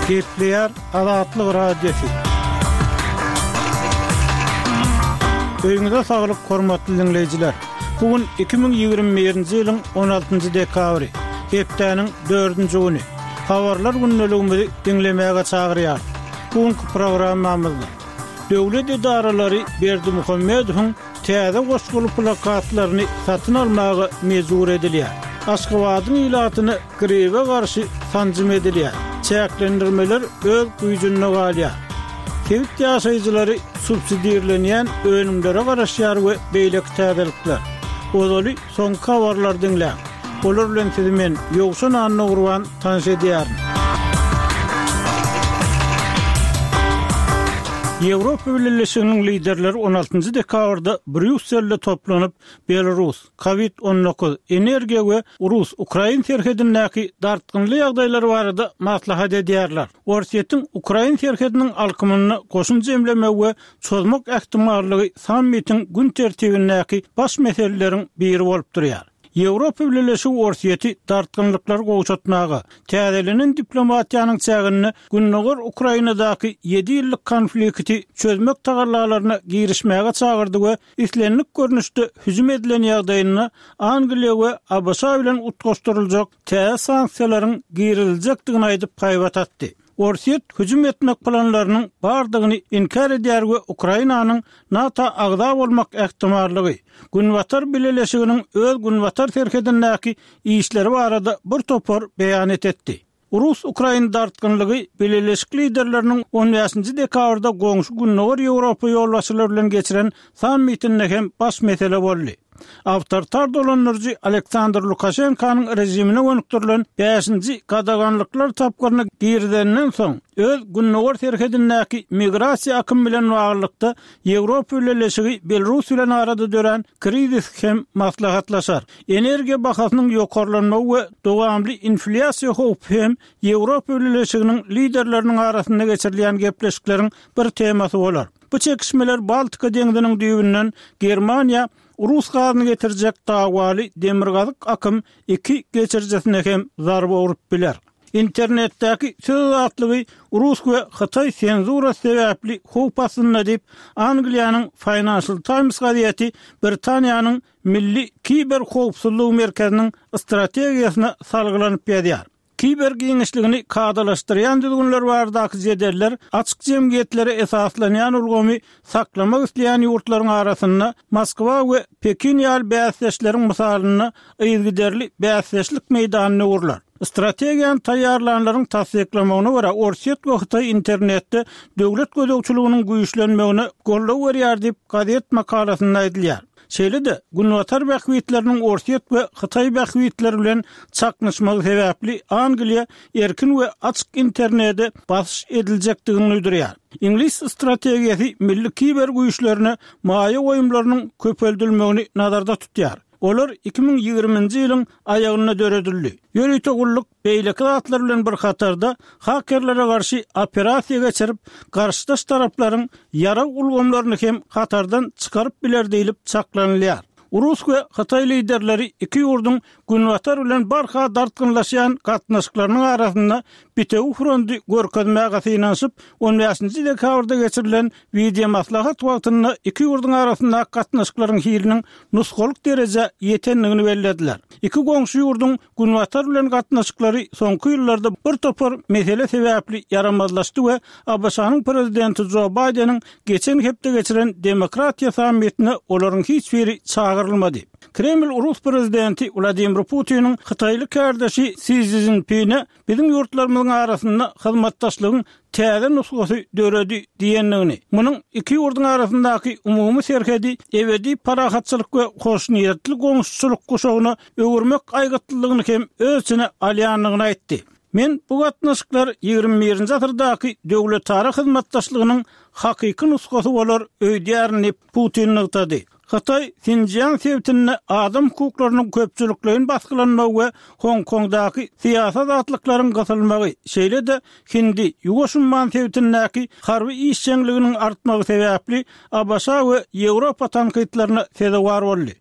Gepleýär Azatlyk Radiosy. Öýüňize saglyk hormatly diňleýjiler. Bu gün 2021-nji ýylyň 16-njy dekabry, hepdäniň dördünji güni. Habarlar gündeligimizi diňlemäge çagyrýarys. Bu günki programmamyzda döwlet edaralary Berdimuhamedowyň täze goşguly plakatlaryny satyn almaga mejbur edilýär. Aşgabadyň ilatyna gribe garşy sanjym edilýär. Çäklendirmeler öz güýjünde galýar. Sebit ýaşaýjylary subsidirlenýän önümlere garaşýar we beýleki täzelikler. Ozaly soňky habarlary diňläň. Olar bilen sizi men, Ýowşan Annagurban tanyş edýärin. Ýewropa Bileleşiginiň liderleri on altynjy dekabrda Brýusselde toplanyp, Belarus, Covid 19, energiýa we rus-ukrain serhedindäki dartgynly ýagdaýlar barada maslahat edýärler. Orsýetiň ukrain serhediniň alkymynda goşun jemlemegi we çozmak ähtimallygy sammitiň gün tertibindäki baş meseleleriň biri bolup durýar. Ýewropa Bileleşigi Orsýeti dartgynlyklary gowşatmaga, täzelenen diplomatiýanyň çäginde gündogar Ukrainadaky ýedi ýyllyk konflikti çözmek tagallalaryna girişmäge çagyrdy we islendik görnüşde hüjüm edilen ýagdaýynda Angliýa we ABŞ bilen utgaşdyryljak täze sanksiýalaryň giriziljekdigini aýdyp haýbat atdy. Orsýet hüjüm etmek planlarynyň bardygyny inkär edýär we Ukrainanyň NATO agza bolmak ähtimallygy, Günbatar bileleşiginiň öz günbatar serhedindäki işleri barada bir topar beýanat etdi. Rus-ukrain dartgynlygy bileleşik liderleriniň on bäşinji dekabrda goňşy Gündogar Ýewropa ýolbaşçylary bilen geçiren sammitinde hem baş mesele boldy. Awtoritar dolandyryjy Aleksandr Lukaşenkanyň režimine gönükdirilen bäşinji gadaganlyklar tapgyryny girizeninden soň, öz gündogar serhedindäki migrasiýa akymy bilen baglylykda Ýewropa Bileleşigi Belarus bilen arada dörän krizis hem maslahatlaşar. Energiýa bahasynyň ýokarlanmagy we dowamly inflýasiýa howpy hem Ýewropa Bileleşiginiň liderleriniň arasynda geçirilýän gepleşikleriň bir temasy bolar. Bu çekişmeler Baltika deňziniň düýbünden Germaniýa rus gazyny getirjek dawaly Demirgazyk akym iki geçirijisine hem zarba urup biler. Internetdäki söz azatlygy rus we hytaý senzurasy sebäpli howp astynda diýip, Angliýanyň Financial Times gazeti Britaniýanyň Milli kiber howpsuzlygy merkeziniň strategiýasyna salgylanyp ýazýar. Kiber giňişligini kadalaşdyrýan düzgünler baradaky jedeller açyk jemgyýetlere esaslanýan ulgamy saklamak isleýän ýurtlaryň arasynda Moskwa we Pekin ýaly bäsdeşleriň mysalynda yzygiderli bäsdeşlik meýdanyna öwrüler. Strategiýany taýýarlanlaryň tassyklamagyna görä, Orsýet we Hytaý internetde döwlet gözegçiliginiň güýçlenmegine goldaw berýär diýip, gazet makalasynda aýdylýar. Şeýle-de, Günbatar bähbitleriniň Orsýet we Hytaý bähbitleri bilen çaknyşmagy sebäpli Angliýa erkin we açyk internede basyş ediljekdigini duýdurýar. Iňlis strategiýasy milli kiber güýçlerine maýa goýumlarynyň köpeldilmegini nazarda tutýar. Olar 2020-nji ýylyň aýagynda döredildi. Ýörite gulluk beýleki zatlar bilen bir hatarda hakerlere garşy operasiýa geçirip, garşydaş taraplaryň ýarag ulgamlaryny hem hatardan çykaryp biler diýlip çaklanylýar. Rus we hytaý liderleri iki ýurduň Günbatar bilen barha dartgynlaşýan gatnaşyklarynyň arasynda bitewi fronty görkezmäge synanyşyp, on bäşinji dekabrda geçirilen wideomaslahat wagtynda iki ýurduň arasyndaky gatnaşyklaryň hiliniň nusgalyk derejä ýetendigini bellediler. Iki goňşy ýurduň Günbatar bilen gatnaşyklary soňky ýyllarda bir topar mesele sebäpli ýaramazlaşdy we ABŞ-nyň prezidenti Jo Baýdeniň geçen hepde geçiren Demokratiýa sammitine olaryň hiç biri çagyrylmady. Kreml rus prezidenti Wladimir Putiniň hytaýly kärdeşi Si Szinpine biziň ýurtlarymyzyň arasynda hyzmatdaşlygyň täze nusgasy döredi diýendigini, munuň iki ýurduň arasyndaky umumy serhedi ebedi parahatçylyk we hoşniýetli goňşuçylyk guşagyna öwürmek aýgytlylygyny hem öz içine alýandygyny aýtdy. Men bu gatnaşyklar ýigrimi birinji asyrdaky döwletara hyzmatdaşlygynyň hakyky nusgasy bolar öýdýärin diýip, Putin nygtady. Hytaý Sinjiang sebitinde adam hukuklarynyň köpçülikleýin basgylanmagy we Hong-Kongdaky syýasy azatlyklaryň gysylmagy, şeýle-de Hindi, Ýuwaş umman sebitindäki harby işjeňliginiň artmagy sebäpli ABŞ we Ýewropa tankytlaryna sezewar boldy.